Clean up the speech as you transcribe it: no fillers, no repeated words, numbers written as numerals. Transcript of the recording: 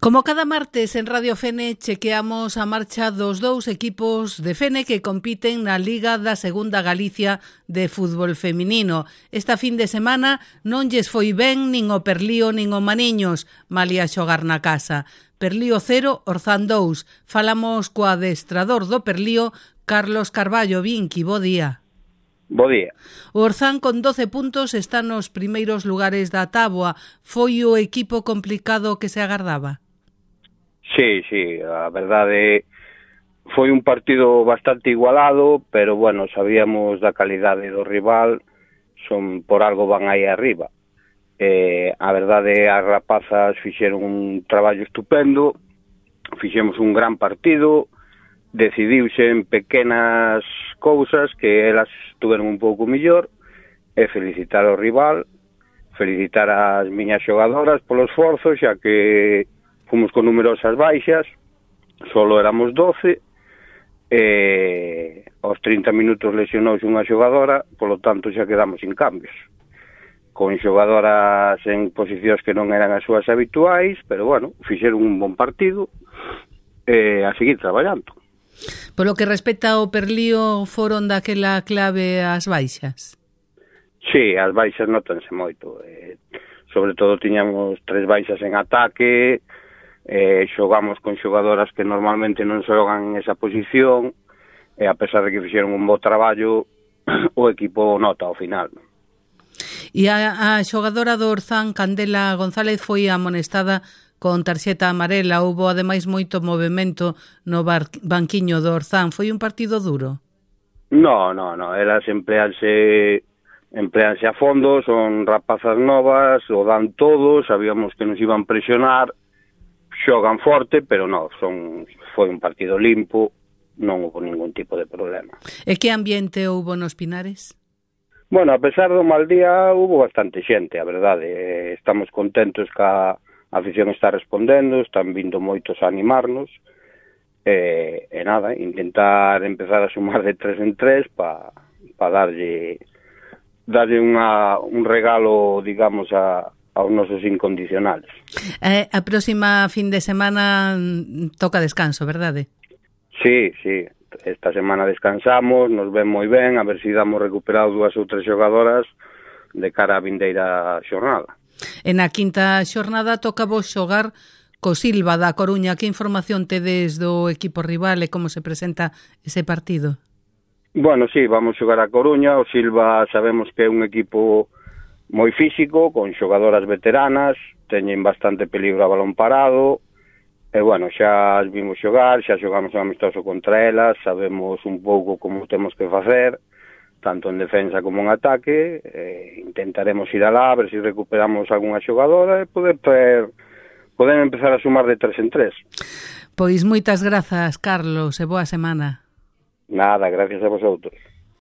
Como cada martes en Radio Fene chequeamos a marcha dos dous equipos de Fene que compiten na Liga da Segunda Galicia de fútbol feminino. Esta fin de semana non lles foi ben nin o Perlío nin o Maniños, malia xogar na casa. Perlío 0, Orzán 2. Falamos co adestrador do Perlío, Carlos Carballo. Vinqui, bo día. Bo día. O Orzán con 12 puntos está nos primeiros lugares da táboa. Foi o equipo complicado que se agardaba? Sí, a verdade foi un partido bastante igualado, pero bueno, sabíamos da calidade do rival, son por algo van aí arriba. A verdade, as rapazas fixeron un traballo estupendo, fixemos un gran partido, decidiuse en pequenas cousas que elas estuveron un pouco mellor, e felicitar ao rival, felicitar as miñas xogadoras polo esforzo, xa que fomos con numerosas baixas, solo éramos 12, aos 30 minutos lesionouse unha xogadora, polo tanto xa quedamos sin cambios, con xogadoras en posicións que non eran as súas habituais, pero bueno, fixeron un bon partido, a seguir traballando. Polo que respecta ao Perlío, foron daquela clave as baixas? Sí, as baixas notanse moito, sobre todo tiñamos 3 baixas en ataque, xogamos con xogadoras que normalmente non xogan en esa posición, e a pesar de que fixeron un bo traballo, o equipo nota ao final. E a xogadora do Orzán, Candela González, foi amonestada con tarxeta amarela. Houbo ademais moito movimento no banquiño do Orzán. Foi un partido duro? No, elas empleanse a fondo, son rapazas novas, o dan todo, sabíamos que nos iban presionar, xogan forte, pero non, foi un partido limpo, non houve ningún tipo de problema. E que ambiente houve nos Pinares? Bueno, a pesar do mal día, houve bastante xente, a verdade. Estamos contentos que a afición está respondendo, están vindo moitos a animarnos, e nada, intentar empezar a sumar de 3 en 3 para darlle un regalo, digamos, aos nosos incondicionales. A próxima fin de semana toca descanso, verdade? Sí, esta semana descansamos, nos ven moi ben, a ver se damos recuperado 2 ou 3 xogadoras de cara á vindeira xornada. En a quinta xornada toca vos xogar co Silva da Coruña. Que información tedes do equipo rival e como se presenta ese partido? Bueno, sí, vamos xogar a Coruña. O Silva sabemos que é un equipo moi físico, con xogadoras veteranas, teñen bastante peligro a balón parado, e bueno, xa as vimos xogar, xa xogamos amistoso contra elas, sabemos un pouco como temos que facer, tanto en defensa como en ataque, intentaremos ir alá, a ver se recuperamos algunha xogadora e poder empezar a sumar de 3 en 3. Pois moitas grazas, Carlos, e boa semana. Nada, gracias a vosotros.